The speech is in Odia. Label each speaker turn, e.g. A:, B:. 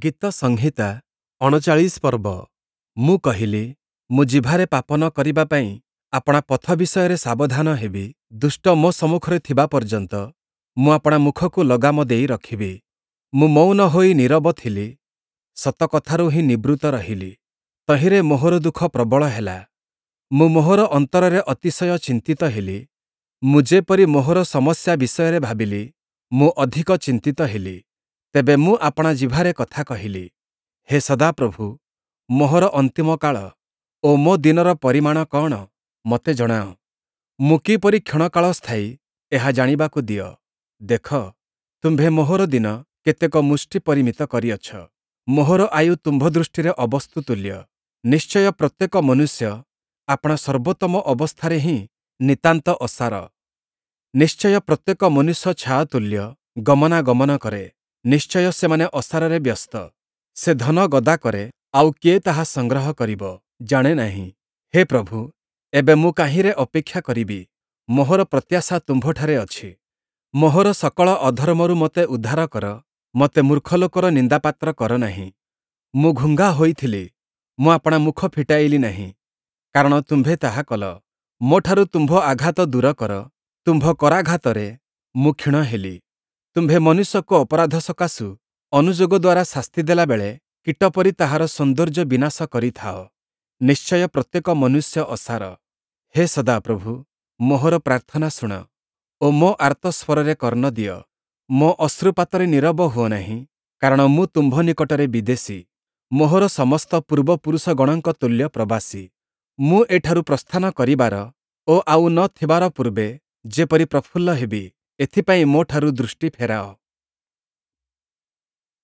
A: ଗୀତସଂହିତା ୩୯ ପର୍ବ। ମୁଁ କହିଲି, ମୁଁ ଜିଭାରେ ପାପ ନ କରିବା ପାଇଁ ଆପଣା ପଥ ବିଷୟରେ ସାବଧାନ ହେବି। ଦୁଷ୍ଟ ମୋ ସମ୍ମୁଖରେ ଥିବା ପର୍ଯ୍ୟନ୍ତ ମୁଁ ଆପଣା ମୁଖକୁ ଲଗାମ ଦେଇ ରଖିବି। ମୁଁ ମୌନ ହୋଇ ନୀରବ ଥିଲି, ସତ କଥାରୁ ହିଁ ନିବୃତ୍ତ ରହିଲି। ତହିଁରେ ମୋହର ଦୁଃଖ ପ୍ରବଳ ହେଲା। ମୁଁ ମୋହର ଅନ୍ତରରେ ଅତିଶୟ ଚିନ୍ତିତ ହେଲି। ମୁଁ ଯେପରି ମୋହର ସମସ୍ୟା ବିଷୟରେ ଭାବିଲି, ମୁଁ ଅଧିକ ଚିନ୍ତିତ ହେଲି। ତେବେ ମୁଁ ଆପଣା ଜିଭାରେ କଥା କହିଲି, ହେ ସଦାପ୍ରଭୁ, ମୋହର ଅନ୍ତିମ କାଳ ଓ ମୋ ଦିନର ପରିମାଣ କଅଣ, ମୋତେ ଜଣାଅ। ମୁଁ କିପରି କ୍ଷଣକାଳ ସ୍ଥାୟୀ, ଏହା ଜାଣିବାକୁ ଦିଅ। ଦେଖ, ତୁମ୍ଭେ ମୋହର ଦିନ କେତେକ ମୁଷ୍ଟି ପରିମିତ କରିଅଛ। ମୋହର ଆୟୁ ତୁମ୍ଭ ଦୃଷ୍ଟିରେ ଅବସ୍ତୁ ତୁଲ୍ୟ। ନିଶ୍ଚୟ ପ୍ରତ୍ୟେକ ମନୁଷ୍ୟ ଆପଣା ସର୍ବୋତ୍ତମ ଅବସ୍ଥାରେ ହିଁ ନିତାନ୍ତ ଅସାର। ନିଶ୍ଚୟ ପ୍ରତ୍ୟେକ ମନୁଷ୍ୟ ଛାୟାତୁଲ୍ୟ ଗମନାଗମନ କରେ। ନିଶ୍ଚୟ ସେମାନେ ଅସାରରେ ବ୍ୟସ୍ତ। ସେ ଧନ ଗଦା କରେ, ଆଉ କିଏ ତାହା ସଂଗ୍ରହ କରିବ, ଜାଣେ ନାହିଁ। ହେ ପ୍ରଭୁ, ଏବେ ମୁଁ କାହିଁରେ ଅପେକ୍ଷା କରିବି? ମୋହର ପ୍ରତ୍ୟାଶା ତୁମ୍ଭଠାରେ ଅଛି। ମୋହର ସକଳ ଅଧର୍ମରୁ ମୋତେ ଉଦ୍ଧାର କର, ମୋତେ ମୂର୍ଖ ଲୋକର ନିନ୍ଦାପାତ୍ର କର ନାହିଁ। ମୁଁ ଘୁଙ୍ଗା ହୋଇଥିଲି, ମୁଁ ଆପଣା ମୁଖ ଫିଟାଇଲି ନାହିଁ, କାରଣ ତୁମ୍ଭେ ତାହା କଲ। ମୋଠାରୁ ତୁମ୍ଭ ଆଘାତ ଦୂର କର, ତୁମ୍ଭ କରାଘାତରେ ମୁଁ କ୍ଷୀଣ ହେଲି। ତୁମ୍ଭେ ମନୁଷ୍ୟକୁ ଅପରାଧ ସକାଶୁ ଅନୁଯୋଗ ଦ୍ୱାରା ଶାସ୍ତି ଦେଲାବେଳେ କୀଟ ପରି ତାହାର ସୌନ୍ଦର୍ଯ୍ୟ ବିନାଶ କରିଥାଅ। ନିଶ୍ଚୟ ପ୍ରତ୍ୟେକ ମନୁଷ୍ୟ ଅସାର। ହେ ସଦାପ୍ରଭୁ, ମୋହର ପ୍ରାର୍ଥନା ଶୁଣ ଓ ମୋ ଆର୍ତ୍ତସ୍ୱରରେ କର୍ଣ୍ଣ ଦିଅ। ମୋ ଅଶ୍ରୁପାତରେ ନୀରବ ହୁଅ ନାହିଁ, କାରଣ ମୁଁ ତୁମ୍ଭ ନିକଟରେ ବିଦେଶୀ, ମୋହର ସମସ୍ତ ପୂର୍ବପୁରୁଷଗଣଙ୍କ ତୁଲ୍ୟ ପ୍ରବାସୀ। ମୁଁ ଏଠାରୁ ପ୍ରସ୍ଥାନ କରିବାର ଓ ଆଉ ନ ଥିବାର ପୂର୍ବେ ଯେପରି ପ୍ରଫୁଲ୍ଲ ହେବି, ଏଥିପାଇଁ ମୋଠାରୁ ଦୃଷ୍ଟି ଫେରାଅ।